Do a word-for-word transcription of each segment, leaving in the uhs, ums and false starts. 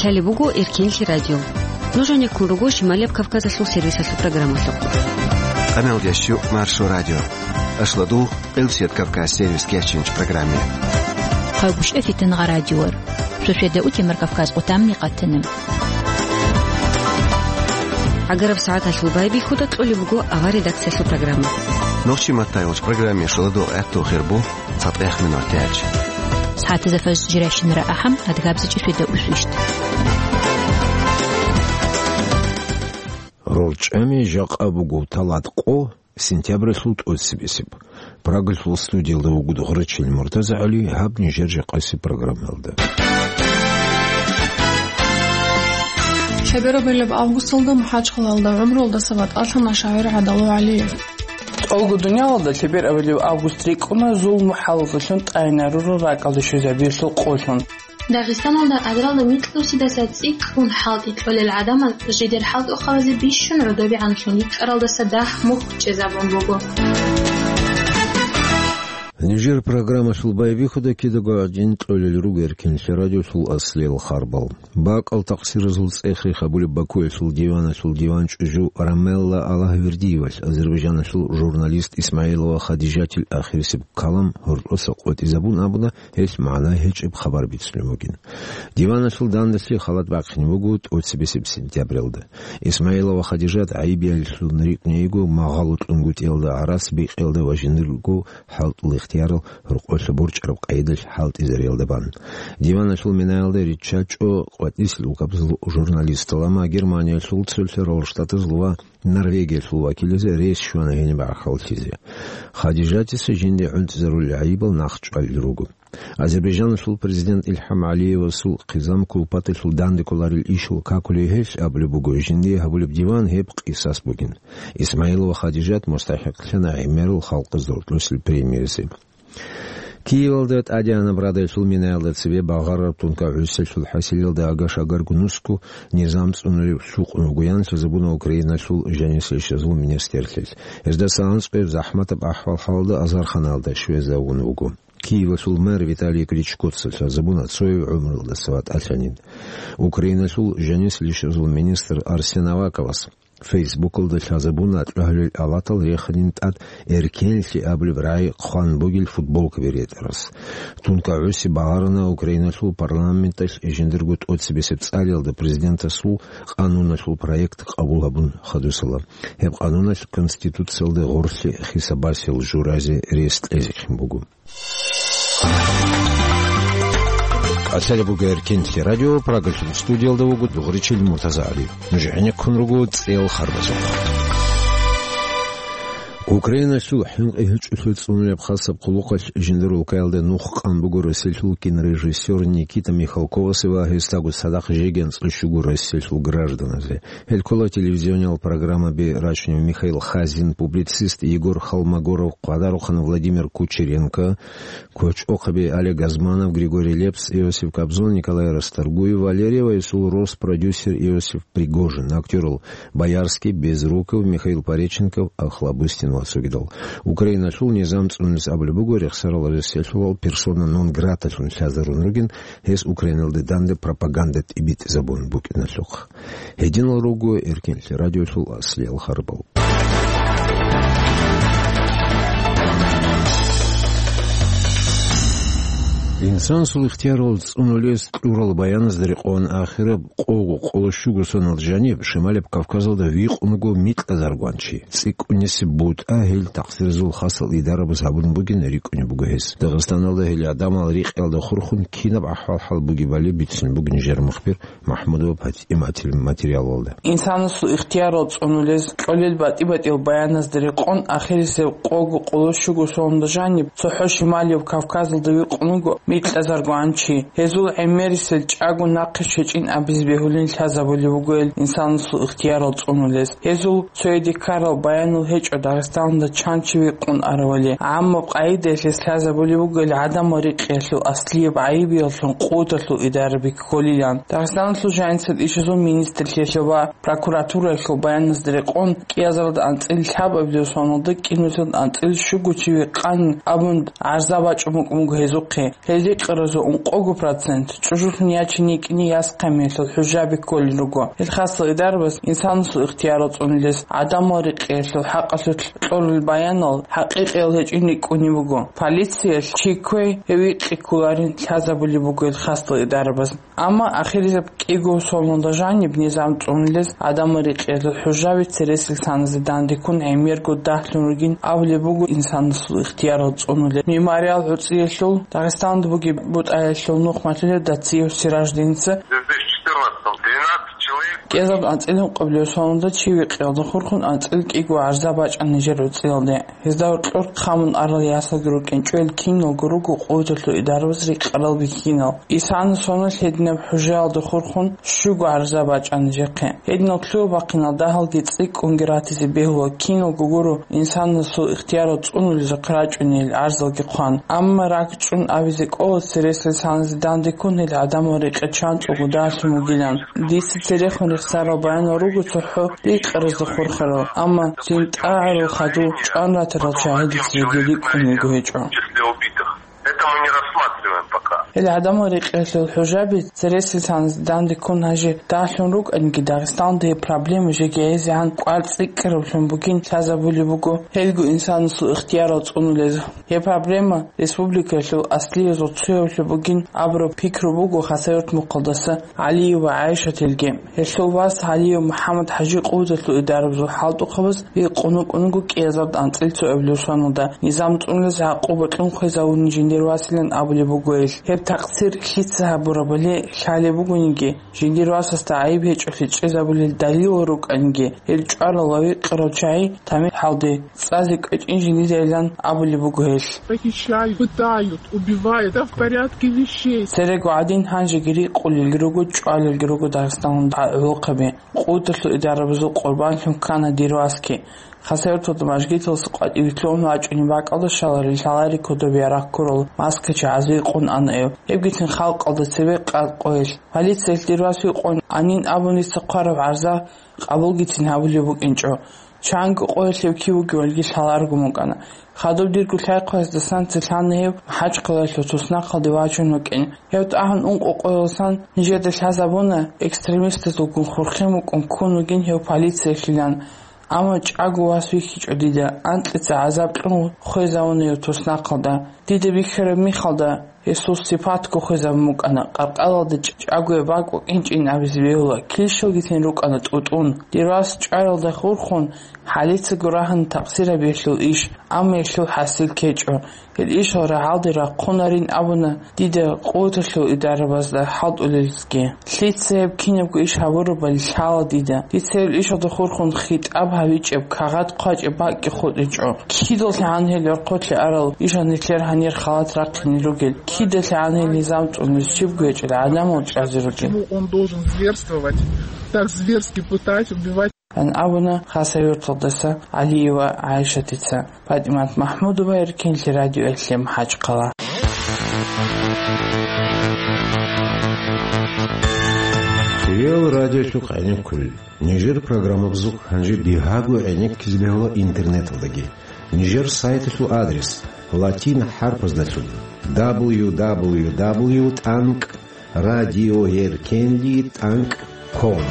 Гьале буго Эркенлъи радио. Нуж гьанеккун руго Шималияб Кавказалъул сервисалъул программалъухъ. Къамел ящу Маршо радио. Ашладу Элсет Кавказ сервис кечинч программе. Хъавгуш эфитан гъа радиор. Шошеда утемар Кавказ къутамни къатана. Агараб сагӀаталъул байбихьуда кьолеб буго авар редакциялъул программа. Нохчи маттайолч программе шуладу гӀатту хирбу. ЦатӀех минут тяч. СагӀатазда фажр жирайщинара ахӀам, адгабзачӀи шуйда усвищт. РорчӀами жакъа буго талат къо, сентябралъул тӀоцебесеб. Прагалъул студиялда вугода гъурачил МуртазагӀали, гьаб нижер жакъасеб программалда. Чаберабилеб августалда МухӀачхъалалда гӀумруялдаса ватӀалъана шагӀир ГӀадалу ГӀалиев. ТӀолго дуниялалда лъеберабилев август рикӀкӀуна зулму хӀалалдалъун тӀайнарурал ракӀалде щвезабиялъул къолъун. Дагъистаналда азаралда микьусидаса цӀикӀкӀун хӀалтӀи кьолел гӀадамал жидер хӀалтӀухъабазе бищун гӀодобегӀанлъун йикӀаралдаса дагь мухь чӀезабун буго. Нижер программалъул байбихьуда кидаго гӀадин кьолел руго Эркенлъи радиолъул аслиял харбал. БакӀал такъсиразул цӀех-рех гьабулеб Бакуялъул диваналъул диван чӀужу Рамелла Аллагьвердиевалъ азербайджаналъул журналист Исмаилова Хадижатил ахирисеб калам гьоркьоса къотӀизабун абуна, гьелъ магӀна гьечӀеб хабар бицунеб бугин. Диваналъул данделъи халат бахъине буго тӀоцебесеб сентябралда. Исмаилова Хадижат гӀайибиялилъун рикӀкӀунейго магъало кьунгутӀиялда, гӀарац бикъиялда ва жиндирго хӀалтӀул ихтиярал гьоркьолъа борчӀараб къайдалъ хӀалтӀизариялда бан. Диваналъул минаялда риччачӀо къватӀисел улкабазул журналистал, амма Германиялъул, Цолъарал Штатазул ва Норвегиялъул вакиллазе рес щвана гьениб гӀахьаллъизе. Хадижатица жинде гӀунтӀизарулел гӀайибал нахъчӀвалел руго. Азербайджаналъул президент Илхам ГӀалиевасул хъизан кулпаталъул данде кколарел ишал какулей гьелъ абулеб буго, жиндие гьабулеб диван гьеб къисас бугин. Исмаилова Хадижат мустахӀикълъана гӀемерал халкъазда гьоркьосел премиязе. Киевалда тӀадегӀанаб радалъул минаялда цебе багъараб тункагӀусиялъул хӀасилалда агаш-агарго нусго низам цӀунулев лъукъун вугоян лъазабуна Украиналъул жанисел щвезул министрлъи. Гьездаса анцӀго гьеб захӀматаб ахӀвал-хӀалалда азарханалда щвезавун вуго. Киевалъул мэр Виталий Кличкоца лъазабуна цояв гӀумруялдаса ватӀалъанин. Украиналъул жанисел щвезул министр Арсен Аваковас Фейсбукалда лъазабуна кьвагьлуел аватал реханин тӀад «Эркенлъи» абулеб рагӀи хъван бугел футболкаби ретӀарас. ТункагӀуси багъарана Украиналъул парламенталъ жиндирго тӀоцебесеб цӀалиялда президентасул къануналъул проект къабул гьабун хадусала. Гьеб къануналъ Конституциялда гъорлъи хисабасел журазе рес кьезехъин буго. КӀалъалеб буго Эркенлъи радио, Прагалъул студиялда вуго дугӀричил МуртазагӀали. Нуж гӀенеккун руго цӀел харбазухъ. Украиналъул хӀинкъи гьечӀолъи цӀунулеб хасаб хъулухъалъ жиндир улкаялда нух къан буго Россиялъул кинорежиссер Никита Михалковасе ва гьесдаго цадахъ жеги анцӀила щуго Россиялъул гражданазе. Гьел ккола телевизиониял программаби рачунев Михаил Хазин, публицист Егор Холмогоров, къвадарухъан Владимир Кучеренко, кочӀохъаби Олег Газманов, Григорий Лепс, Иосиф Кобзон, Николай Расторгуев, Валерий ва гьесул рос продюсер Иосиф Пригожин, актёрал Боярский, Безруков, Михаил Пореченков, Охлобыстин ва цогидал. Украиналъул низам цӀунулес абулеб буго, рехсарал Россиялъувал персона нон граталъун лъазарун ругин, гьес Украиналде данде пропаганда тӀибитӀизабун букӀиналъухъ. Гьединал руго Эркенлъи радиолъул аслиял харбал. Инсанасул ихтиярал цӀунулес кьурал баяназда рекъон ахираб къого къоло щуго сонал жаниб Шималаб Кавказалда викъун вуго микьазаргван чи. ЦӀикӀкӀунесеб бутӀа гьел такъсиразул хасал идарабаз гьабун бугин рикӀкӀунеб буго гьес. Дагъистаналда гьел гӀадамал рикъиялда хурхун кинаб ахӀвал-хӀал бугебали бицунеб бугин нижер мухбир МахӀмудова ПатӀиматил материалалда. Инсанасул ихтиярал цӀунулез кьолел батӀи-батӀиял баяназда рекъон, ахирисеб къого къоло щуго соналда жаниб цохӀо Шималияб Кавказалда викъун вуго микьазаргван чи. Гьезул гӀемерисел чӀаго нахъе щвечӀин абизе бегьулин лъазабулеб буго гьел инсанасул ихтиярал цӀунулез. Гьезул цояде ккарал баянал гьечӀо Дагъистаналда чан чи викъун аравали. ГӀаммаб къагӀидаялъ гьес лъазабулеб буго гьел гӀадамал рикъиялъул аслияб гӀайибияллъун къуваталъул идара бекколилан. Дагъистаналъул жанисел ишазул министрлъиялъул ва прокуратураялъул баяназда рекъон, кӀиазаралда анцӀила лъабабилеб соналда кӀиабилеб соналда анцӀила щуго чи викъанин абун гӀарза бачӀун букӀун буго гьезухъе. Рикъаразул ункъого процент чӀужулъун ячине йикӀине яс хъемиялъул хӀужаби кколел руго. Гьел хасал идарабаз инсанасул ихтиярал цӀунулез, гӀадамал рекъиялъул хӀакъалъулъ кьолел баянал хӀакъикъиял гьечӀин рикӀкӀунеб буго. Полициялъ чи кквей, гьев рикъи кколарин лъазабулеб буго гьел хасал идарабаз. Амма ахиризаб кӀиго соналда жаниб низам цӀунулез, гӀадамал рекъиялъул хӀужаби цересел саназе дандеккун гӀемерго дагьлъун ругин абулеб буго инсанасул ихтиярал цӀунулел. Мемориал гӀуцӀиялъул Дагъистанда бугеб бутӀаялъул нухмалъулев Дациев Сираждиница кӀезаб анцӀила ункъабилеб соналда чи викъиялда хурхун анцӀила кӀиго гӀарза бачӀана нижер гӀуцӀиялде. Гьезда гьоркьор хъамун арал ясалги рукӀинчӀо, гьел киналго руго къуваталъул идарабаз рекъарал бихьинал. Исана соналъ гьединаб хӀужаялда хурхун щуго гӀарза бачӀана нижехъе. Гьединал лъугьа-бахъинал дагьалги цӀикӀкӀунги ратизе бегьула, киналго гуро инсанасул ихтиярал цӀунулезухъ рачӀунел гӀарзалги хъван. Амма ракӀчӀун абизе кӀола цересел саназе дандеккун гьел гӀадамал рекъечанцӀого дагьлъун вугилан. Дица церехун рехсарал баянал руго цохӀо рикъаразда хурхарал, амма жинтӀагӀарул хадув чӀван ратарал чагӀи дица жеги рикӀкӀун вуго гьечӀо. Числе убитых. Это мы не рассматриваем пока. Гьел гӀадамал рекъиялъул хӀужаби цересел саназе дандеккун гьанже дагьлъун рукӀаниги, Дагъистанда гьеб проблема жеги гӀезегӀан кӀвар цӀикӀкӀараблъун бугин лъазабулеб буго гьелго инсанасул ихтиярал цӀунулез. Гьеб проблема республикаялъул аслиязул цоявлъун бугин абураб пикру буго Хасавюрт мухъалдаса ГӀалиева ГӀайшатилги. Гьелъул вас ГӀалиев МухӀаммад-ХӀажи къуваталъул идарабазул хӀалтӀухъабаз рикъун вукӀунаго кӀиазард анцӀил цоабилеб соналда низам цӀунулез гӀакъуба кьун хвезавуни жиндир василан абулеб буго гьел. Гьеб такъсир лъица гьабурабали лъалеб бугониги, жиндир васасда гӀайиб гьечӀолъи чӀезабулел далилал рукӀаниги, гьел чӀварал ва викъарал чагӀи тамихӀалде цӀазе кӀвечӀин жиндидайилан абулеб буго гьел. Похищают, пытают, убивают. Это в порядке вещей. Церего гӀадин гьанжеги рикъулелги руго, чӀвалелги руго Дагъистаналда гӀолохъаби. Къуваталъул идарабазул къурбанлъун ккана дир васги. Хасавюрталда мажгиталдаса къватӀивилълъун вачӀунеб бакӀалда щаларел лъалари кодобе ярагъ ккурал маскачи гӀазуе къун ана гьев. Гьебгицин халкъалда цебе къа-, къойил. Полициялъ дир вас викъун анин абун дица хъвараб гӀарза къабулгицин гьабулеб букӀинчӀо. Чанго къоялъ гьев кив вугевалги лъаларгун букӀана. Хадуб дирго лъай-хъваздасан цере лъана гьев МахӀачхъалаялъул туснахъалде вачун вукӀин. Гьев тӀагьун ункъо къоялдасан нижеда лъазабуна, экстремистазулгун хурхин вукӀун ккун вугин гьев полициялъилан. Амма чӀаго вас вихьичӀо дида, анкьица гӀазаб кьун хвезавуна гьев туснахъалда. Дида бихьараб мехалда, гьесул сипатго хвезабун букӀана, къаркъалалда чӀ-, чӀагояб бакӀ букӀинчӀин абизе бегьула, килщалгицин рукӀана тӀутӀун. Дир вас чӀваралда хурхун, гьалицаго рагьана такъсир гьабиялъул иш, амма гьелъул хӀасил ккечӀо. Гьел ишал рагӀалде рахъунарин абуна дида къуваталъул идарабазда хӀалтӀулелги. Лъица гьеб кинабго иш гьабурабали лъала дида. Дица гьел ишалда хурхун хитӀаб гьабичӀеб, кагъат хъвачӀеб бакӀги хутӀичӀо. КидалъагӀан гьел рахъулъе арал ишан нилъер гьанир халат рахъине ругел? КидалъагӀан гьел низам цӀунулез щибго гьечӀел гӀадамал чӀвазе ругел? Почему он должен зверствовать, так зверски пытать, убивать? Ан абуна Хасавюрталдаса ГӀалиева ГӀайшатица. ПатӀимат МахӀмудова, Эркенлъи радиоялъе, МахӀачхъала. Хириял радиолъухъ гӀенеккулел. Нижер программабазухъ гьанже бигьаго гӀенеккизе бегьула интернеталдаги. Нижер сайталъул адрес латин хӀарпаздалъун: дабл ю дабл ю дабл ю тӀанкӀ радиоэркенли тӀанкӀ ком.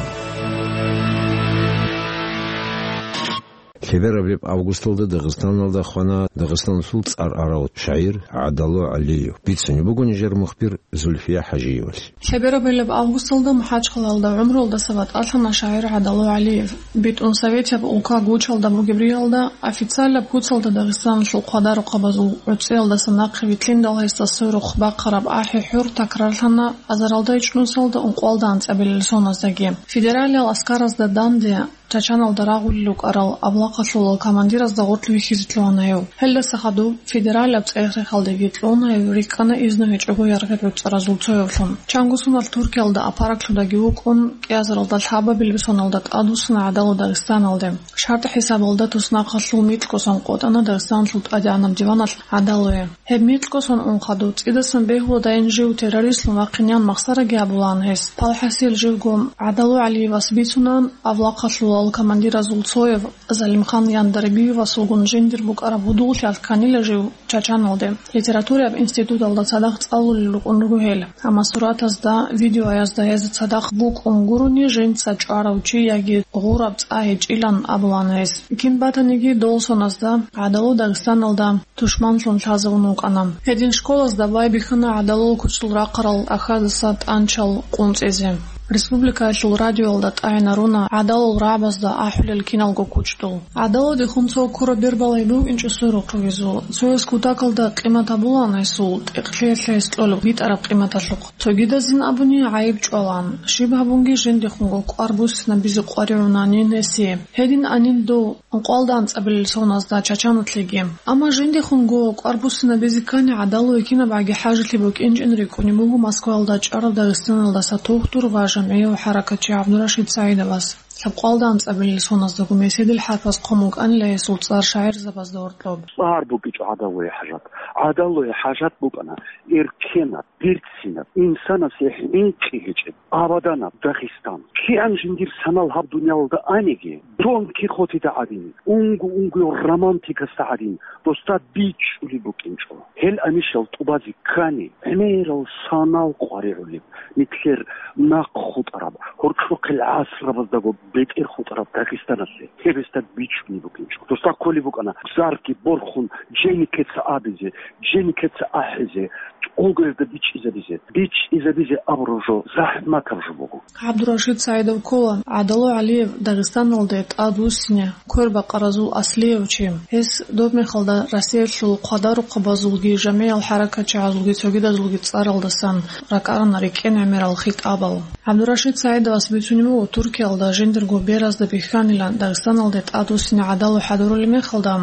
Лъебераб августалда Дагъистаналда хвана Дагъистаналъул цӀар арал шагӀир ГӀадало ГӀалиев. Бицунеб буго нижер мухбир Зульфия ХӀажиевалъ. Лъебераб августалда МахӀачхъалаялда гӀумруялдаса ватӀалъана шагӀир ГӀадало ГӀалиев. БитӀун советияб улка гучалда бугеб риялда официалаб куцалда Дагъистаналъул хъвадарухъабазул гӀуцӀиялдаса нахъе вилълъиндал гьесда сверухъ бахъараб ахӀи-хӀур такрарлъана азаралда ичӀнусалда ункъоялда анцӀабилел соназдаги. Федералиял аскаразда данде Чачаналда рагъулел рукӀарал авлахъалъулал командиразда гъоркь вихьизе лъугьана гьев. Гьелдаса хадуб федералияб цӀех-рехалдеги кьуна гьев, рикӀкӀана изну гьечӀого яргъи гӀуцӀаразул цоявлъун. Чанго соналъ Туркиялда апараглъудаги вукӀун, кӀиазаралда лъабабилеб соналда тӀадвуссана ГӀадало Дагъистаналде. ШартӀ хӀисабалда туснахъалъул микьго сон къотӀана Дагъистаналъул ТӀадегӀанаб диваналъ ГӀадалое. Гьеб микьго сон ун хадуб цӀидасан бегьуладайин жив террористлъун вахъинеян махсараги гьабулаан гьес. Палхасил живго ГӀадало ГӀалиевас бицунаан авлахъалъул Гьал командиразул цояв Залимхан Яндарбиевасулгун жиндир букӀараб гьудуллъиялъ кканила жив Чачаналде. Литератураяб институталда цадахъ цӀалулел рукӀун руго гьел. Амма суратазда, видеоязда гьез цадахъ букӀун гурони, жинца чӀварав чи яги гъураб цӀа гьечӀилан абулаан гьес. Кин батаниги, дол соназда ГӀадалу Дагъистаналда тушманлъун лъазавун вукӀана. Гьедин школазда байбихьана ГӀадалул куцлъул рахъарал тӀахьаздаса тӀанчал къунцӀизе. Республикаялъул радиоялда тӀагӀинаруна ГӀадалул рагӀабазда ахӀулел киналго кучӀдул. ГӀадалудехун цо ккураб бер балай букӀинчӀо сверухъ вугезул. Цояс кутакалда къимат гьабулаан гьесул, тӀекълъиялъе гьес кьолеб битӀараб къиматалъухъ. Цогидазин абуни гӀайиб чӀвалаан, щиб гьабунги жиндихунго кӀвар буссинабизе къваригӀунанин гьесие. Гьедин анин дов ункъоялда анцӀабилел соназда Чачаналъеги. Амма жиндихунго кӀвар буссинабизе ккани, ГӀадалуе кинабгӀаги хӀажалъи букӀинчӀин рикӀкӀунеб буго Москваялда чӀарав Дагъистаналдаса тухтур ва жамгӀияв хӀаракатчи ГӀабдурашид СагӀидовас. Лъабкъоялда анцӀабилел соназдаго меседил хӀарпаз хъван букӀанила гьесул цӀар шагӀирзабазда гьоркьоб. ЦӀар букӀинчӀо ГӀадалуе хӀажат. ГӀадалуе хӀажат букӀана эркенаб, берцинаб, инсанасе хӀинкъи гьечӀеб, абаданаб Дагъистан. КигӀан жиндир санал гьаб дуниялалда аниги, Дон Кихотида гӀадин, унго-унгояв романтикасда гӀадин, досда бичӀчӀулеб букӀинчӀо. Гьел анищал тӀубазе ккани, гӀемерал санал къваригӀулеб, нилъер нахъ хутӀараб, гьоркьохъел гӀасрабаздаго бетӀер хутӀараб Дагъистаналъе гьеб гьесда бичӀчӀулеб букӀинчӀо. Досда кколеб букӀана зарги борхун, женикеца абизе, женикеца ахӀизе, тӀогоязда бичӀчӀизабизе, бичӀчӀизабизе абураб жо захӀматаб жо буго. ГӀабдурашид СагӀидов ккола ГӀадалу ГӀалиев Дагъистаналде тӀадвуссине квербакъаразул аслияв чи. Гьес доб мехалда Россиялъул хъвадарухъабазулги жамгӀиял хӀаракатчагӀазулги цогидазулги цӀаралдасан ракӀарана рекӀен гӀемерал хитӀабал. ГӀабдурашид СагӀидовас бицунеб буго Туркиялда жиндирго беразда бихьанилан Дагъистаналде тӀадвуссине ГӀадалу хӀадурулеб мехалда,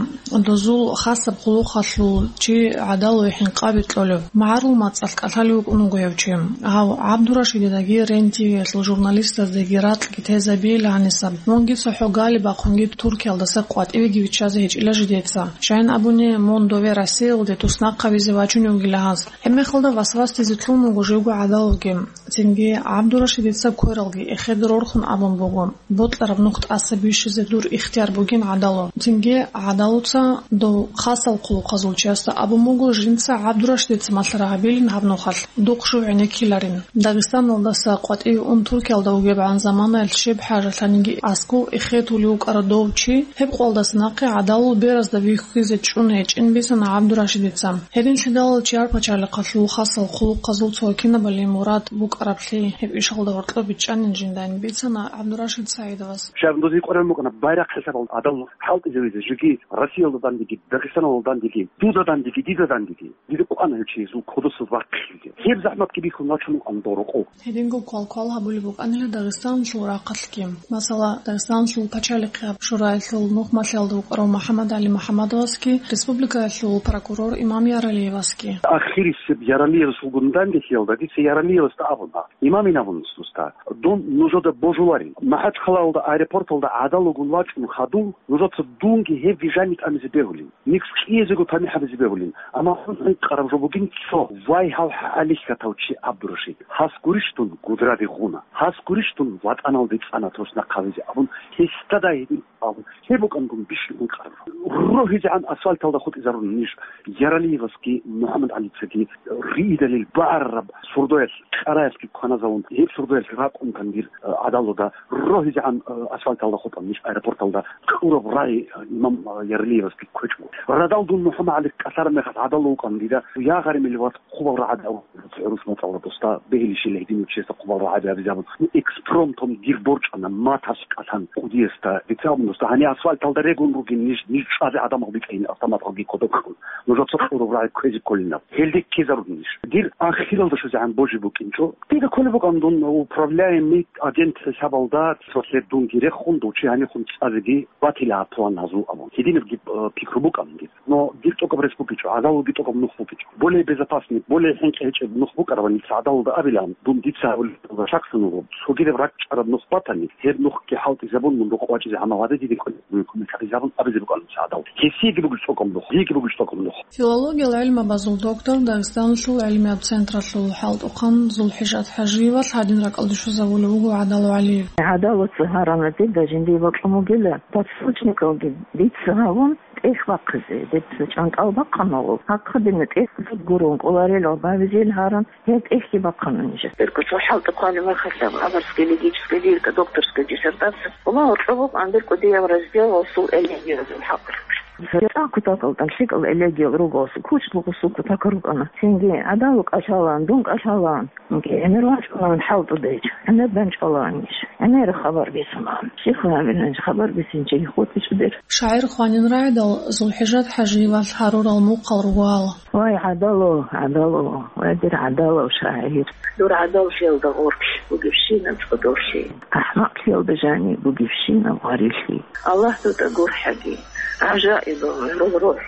дозул хасаб хъулухъалъул чи ГӀадалуе хӀинкъаби кьолев, магӀарул мацӀалъ кӀалъалев вукӀун вуго гьев чи. Гьав ГӀабдурашидидаги РЕН-ТВ-ялъул журналистаздаги ракьги тезабейилан гьанисаб. Мунги цохӀо гали бахъунги Туркиялдаса къватӀивеги виччазе гьечӀила жидеца. Щайин абуни, мун дове Россиялде туснахъабизе вачунев вугила гьас. Гьебмехалда васвасдизе кьун вуго живго ГӀадалуги. Цинги ГӀабдурашидица квералги эхеде рорхун абун буго, бокьараб нух тӀаса бищизе дур ихтияр бугин, ГӀадалу. Цинги ГӀадалуца дов хасал хъулухъазул чиясда абун буго, жинца ГӀабдурашидица малъараб гьабилин гьаб нухалъ, духъ жив гӀенеккиларин. Дагъистаналдаса къватӀиве ун Туркиялда вугебгӀан заманаялъ щиб хӀажалъаниги аскӀов эхетулев вукӀарав дов чи, гьеб къоялдаса нахъе ГӀадалул беразда вихьизе чӀун гьечӀин бицана ГӀабдурашидица. Гьединлъидал чияр пачалихъалъул хасал хъулухъазул цо кинабали мурад букӀараблъи гьеб ишалда гьоркьоб бичӀчӀанин жиндан бицана ГӀабдурашид СагӀидовас. Щай, дозие къваригӀун букӀана байрахъ хӀисабалда гӀадалу хӀалтӀизавизе, жеги Россиялда дандеги, Дагъистаналда дандеги, дуда дандеги, дида дандеги. Дида кӀвана гьев чи гьезул кодосаз вахъизе. Гьеб захӀматги бихьун вачун вукӀана дов рокъов. Гьединго квалквал гьабулеб букӀанила Дагъистаналъул рахъалъги. Масала, Дагъистаналъул пачалихъияб шураялъул нухмалъиялда вукӀарав МухӀаммад ГӀали МухӀаммадовасги, республикаялъул прокурор Имам Яралиевасги. Ахирисеб Яралиевасулгун дандехиялда дица Яралиевасда абуна: «Имамин, — абун досда, — дун нужеда божуларин. МахӀачхъалаялда аэропорталда гӀадалугун вачӀун хадув, нужеца дунги гьевги жанив тӀамизе бегьулин, никс кӀиязего тамихӀ гьабизе бегьулин. Амма гьанкъараб жо бугин цо, вай, гьав хӀалихьатав чи ГӀабдурашид. Гьас гурищ дун гудраде гъуна, гьас гурищ дун ватӀаналде цӀана туснахъ гьавизе», — абун, гьесда гьедин абун, гьеб букӀан дун бищун ункъараб жо. РогьизегӀан асфальталда хутӀизарун ниж, Яралиевасги МухӀаммад ГӀалицаги риидалил багӀарараб сурдоялъ, кӀараялъги кваназавун, гьеб сурдоялъ ракӀун кандир, э, гӀадалуда рогьизегӀан, э, асфальталда хутӀан ниж аэропорталда кьураб рагӀи, э, имам, э, Яралиевасги кквечӀо. Радал дун МухӀаммад ГӀали кӀалъараб мехалъ гӀадалу вукӀан дида, я гъаримил ват, хъубал рагӀаби абун, гӀурус мацӀалда досда бегьилищила гьединав чиясда хъубал рагӀаби абизе абун, экспромтом дир борчӀана маталъ кӀалъан кӀудиясда, дица абун досда, гьанив асфальталда регун ругин ниж, ниж чӀвазе гӀадамал битӀайин автоматалги кодоб ккун. Нужеца кьураб рагӀи кквезе кколин аб. Гьелде ккезарун ниж. Дир ахиралда щвезегӀан божи букӀинчӀо. Дида кколеб букӀан дун управляемый агент хӀисабалда цолъе дунги рехун, дов чи гьанихун цӀазеги батила план гьазул абун. Гьединабги, э, пикру букӀан дир. Но дир тӀокӀаб рес букӀинчӀо, гӀадалуги тӀокӀаб нух букӀинчӀо. Более безопасный Асни, более хӀинкъи гьечӀеб нух букӀарабани гӀадалалда абилан, дун дица гьабулеб шаксун вуго. Цогидаб ракӀчӀараб нух батани, гьеб нухги хӀалтӀизабун, мун рукъ вачӀизе гьанав гьадин, дидин кӀвечӀеб кумекалъизабун абизе букӀана гӀадал. Гьесиеги бугеб цӀокӀаб нух, диеги бугеб цӀокӀаб нух. Филологиял гӀилмабазул доктор, Дагъистаналъул гӀилмияб центрлъул хӀалтӀухъан ЗулхӀижат ХӀажиевалъ гьадин ракӀалде щвезабулев вуго ГӀадал ГӀалиев. ГӀадалаца гьарана дида жиндие бокьун бугила, подсрочникалги дица гьавун, тӀехь бахъизе, дица чӀантӀал бахъана гьаб. Гьахъа дина тӀехь гурун, кӀоларел гьабизел гьаран, гьеб тӀехьги бахъана нижер. Берго цо хӀалтӀухъанаб мехалъ аб аварская логическая лирика, докторская диссертация. Ва гьоркьоб букӀана берго дияб раздел гъосул элегиязул хӀакъалъулъ. ЦӀакъ кутакалда лъикӀал элегиял руго гъосул, кучӀдул гъосул кутакал рукӀана. Цинги гӀадалу кӀалъалаан, дун кӀалъалаан. ГӀемер вачӀунан хӀалтӀудайчӀ, гӀемер данчӀвалаанищ, гӀемер хабар бицунан. Щихъ гьабиланищ хабар бицинчи хутӀичӀудер. ШагӀир хванин рагӀидал ЗулхӀижат ХӀажиевалъ гьарурал мухъал ругоал. Вай, гӀадало, гӀадало, вай, дир гӀадалав шагӀир. Дур гӀадаллъиялда гъоркь бугебщинаб цӀодорлъи. АхӀмакълъиялда жани бугебщинаб гъварилъи. Аллагь дуда гурхӀаги, гӀажаибал гӀурул рухӀ,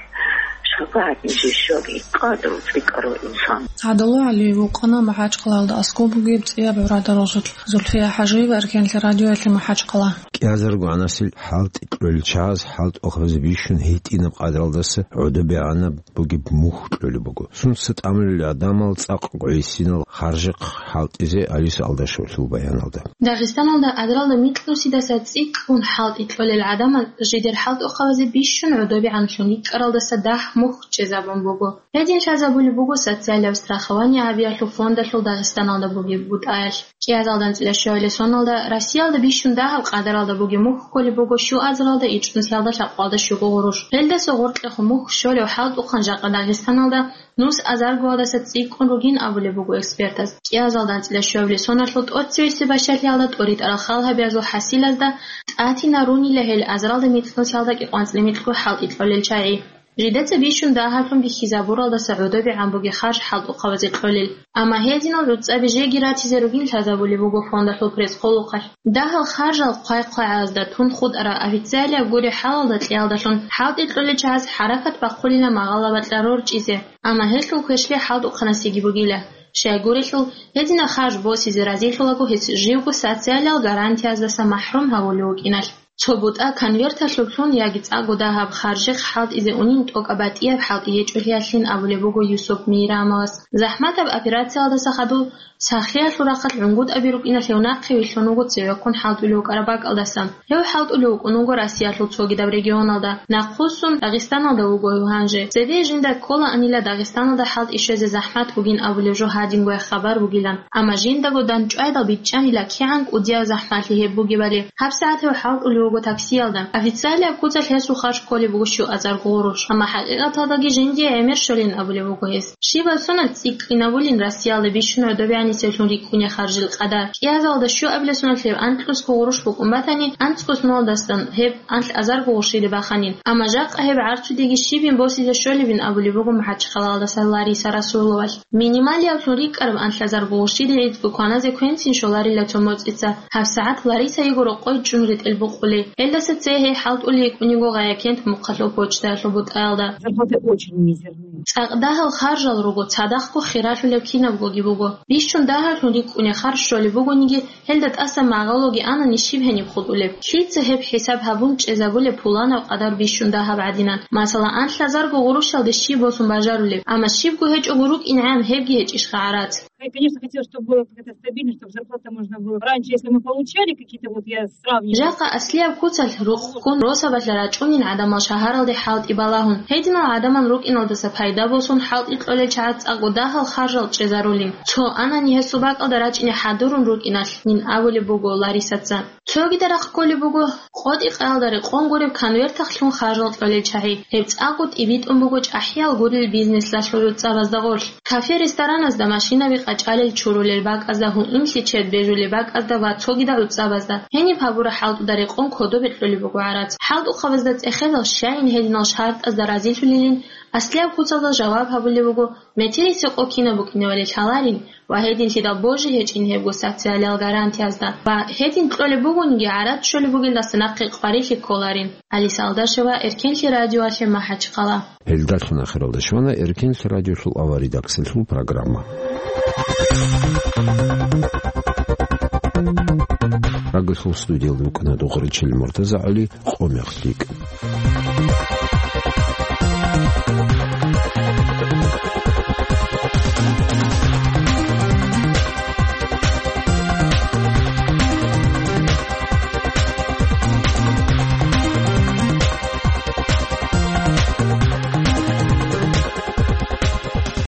шапагӀат нижер щваги, къадру цӀикӀкӀарав инсан. ГӀадало ГӀалиев вукъана МахӀачхъалаялда аскӀоб бугеб цӀияб гӀурада росулъ. Зульфия ХӀажиева, Эркенлъи радиоялъе, МахӀачхъала. КӀиазарго анасил хӀалтӀи кьолел чагӀаз хӀалтӀухъабазе бищун гьитӀинаб къадралдаса гӀодобегӀанаб бугеб мухь кьолеб буго. Сунца тӀамулел гӀадамал цӀакъ гӀисинал харжихъ хӀалтӀизе Алиса Алдашевлъул баяналда. Дагъистаналда азаралда микьнусидаса цӀикӀкӀун хӀалтӀи кьолел гӀадамал жидер хӀалтӀухъабазе бищун гӀодобегӀанлъун рикӀкӀаралдаса дагь мухь чӀезабун буго. Гьедин лъазабулеб буго социалияб страхование гьабиялъул фондалъул Дагъистаналда бугеб бутӀаялъ. КӀиазалда анцӀила щуабилеб соналда Россиялда бищун дагьаб къадаралда бугеб мухь кколеб буго щуазаралда ичӀнусиялда лъабкъоялда щуго гъурущ. Гьелдаса гъоркьехун мухь щолев хӀалтӀухъан жакъа Дагъистаналда нус азаргоялдаса цӀикӀкӀун ругин абулеб буго экспертаз. КӀиазалда анцӀила щуабилеб соналъул тӀоцевесеб бащалъиялда тӀоритӀарал хал гьабиязул хӀасилазда тӀатина рунила гьел азаралда микьнусиялда кӀикъоялда анцӀила микьго хӀалтӀи кьолел чагӀи. Жидеца бищун дагьаблъун бихьизабуралдаса гӀодобегӀан бугеб харж хӀалтӀухъабазе кьолел. Амма гьединал гӀуцӀаби жеги ратизе ругин лъазабулеб буго фондалъул пресс-къулухъалъ. Дагьал харжал хъвай-хъвагӀазда тун хутӀараб официалияб гуреб хӀалалда кьеялдалъун хӀалтӀи кьолел чагӀаз хӀаракат бахъулила магъалла бакьа рорчӀизе. Амма гьелъул квешлъи хӀалтӀухъанасеги бугила. Щайгурелъул, гьединаб харж босизе разилъулаго гьес живго социалиял гарантияздаса махӀрум гьавулев вукӀиналъ. Цо бутӀа конверталъулъ лъун яги цӀакъго дагьаб харжихъ хӀалтӀизе унин тӀокӀаб батӀияб хӀалтӀи гьечӀолъиялъин абулеб буго Юсуп Мейрамовас. ЗахӀматаб операциялдаса хадув сахлъиялъул рахъалъ гӀунгутӀаби рукӀиналъ гьев нахъе вилълъун вуго цевехъун хӀалтӀулев вукӀараб бакӀалдасан. Гьев хӀалтӀулев вукӀун вуго Россиялъул цогидаб регионалда. Нахъвуссун Дагъистаналда вуго гьев гьанже. Цебе жинда ккола анила Дагъистаналда хӀалтӀи щвезе захӀмат бугин абулеб жо гьадингояб хабар бугилан. Амма жиндаго данчӀвайдал бичӀчӀанила кигӀан кӀудияб захӀмалъи гьеб бугебали. ГьабсагӀат гьев хӀалтӀулев вуго таксиялда. Официалияб куцалъ гьесул харж кколеб буго щуазарго гъурущ, амма хӀакъикъаталдаги жиндие гӀемер щолин абулеб буго гьес. Щибаб соналъ цӀикӀкӀинабулин Россиялда бищун гӀодобегӀанисеблъун рикӀкӀунеб харжил къадар. КӀиазалда щуабилеб соналъ гьеб анкьнусго гъурущ букӀун батани, анцӀго соналдасан гьеб анлъазарго гъурущилеб баханин. Амма жакъа гьеб гӀарцудеги щибин босизе щолебин абулеб буго МахӀачхъалаялдаса Лариса Расуловалъ. Минималияблъун рикӀкӀараб анлъазарго гъурущилде гӀицӀго кваназе квенцин щоларила цо моцӀица. ГьабсагӀат Лариса йиго рокъой чӀун ретӀел букъулей. Гьелдаса цее гьей хӀалтӀулей йикӀунего Гъаякент мухъалъул почтаялъул бутӀаялда. Зарплаты очень мизерные. ЦӀакъ дагьал харжал руго, цадахъго хиралъулеб кинабгоги буго. Бищун дагьаблъун рикӀкӀунеб харж щолеб бугониги, гьелда тӀаса магъалоги анани щиб гьениб хутӀулеб? Лъица гьеб хӀисаб гьабун чӀезабулеб пуланаб къадар бищун дагьаб гӀадинан? Масала, анлъазарго гъурущалде щиб босун бажарулеб? Амма щибго гьечӀого рукӀинегӀан гьебги гьечӀищха гӀарац? Я, конечно, хотела, чтобы была какая-то стабильность, чтобы зарплата можно было. Раньше, если мы получали какие-то, вот я сравниваю. Жакъа аслияб куцалъ рукъ ккун росабалъа рачӀунин гӀадамал шагьаралде хӀалтӀи балагьун. Гьединал гӀадамал рукӀиналдаса пайда босун хӀалтӀи кьолел чагӀаз цӀакъго дагьал харжал чӀезарулин. Цо анани гьесул бакӀалда рачӀине хӀадурун рукӀиналъин абулеб буго Ларисаца. Цогида рахъ кколеб буго къотӀи-къаялда рекъон гуреб конвертахълъун харжал кьолел чагӀи. Гьеб цӀакъго тӀибитӀун буго чӀахӀиял гурел бизнеслъалъул гӀуцӀабазда гъорлъ. Кафе-рестораназда, машинаби къачӀалел чурулел бакӀазда, гьуинлъи чед бежулел бакӀазда ва цогидал гӀуцӀабазда. Гьениб гьабураб хӀалтӀуда рекъон кодобе кьолеб буго гӀарац. ХӀалтӀухъабазда цӀехезал щайин гьединал шартӀазда разилъулилин Аслияб куцалда жаваб гьабулеб буго, метерисеб къо кинаб букӀиневали лъаларин ва гьединлъидал божи гьечӀин гьебго социалиял гарантиязда ва гьедин кьолеб бугониги гӀарад щолеб бугелдаса нахъе къварилъи кколарин. Алиса Алдашева, Эркенлъи радиоялъе, МахӀачхъала. Гьелдалъун ахиралда щвана Эркенлъи радиолъул аваридаксалъул программа. Радиолъул студиялда вукӀана Духаричил МуртазагӀали, «Къо мех лъикӀ».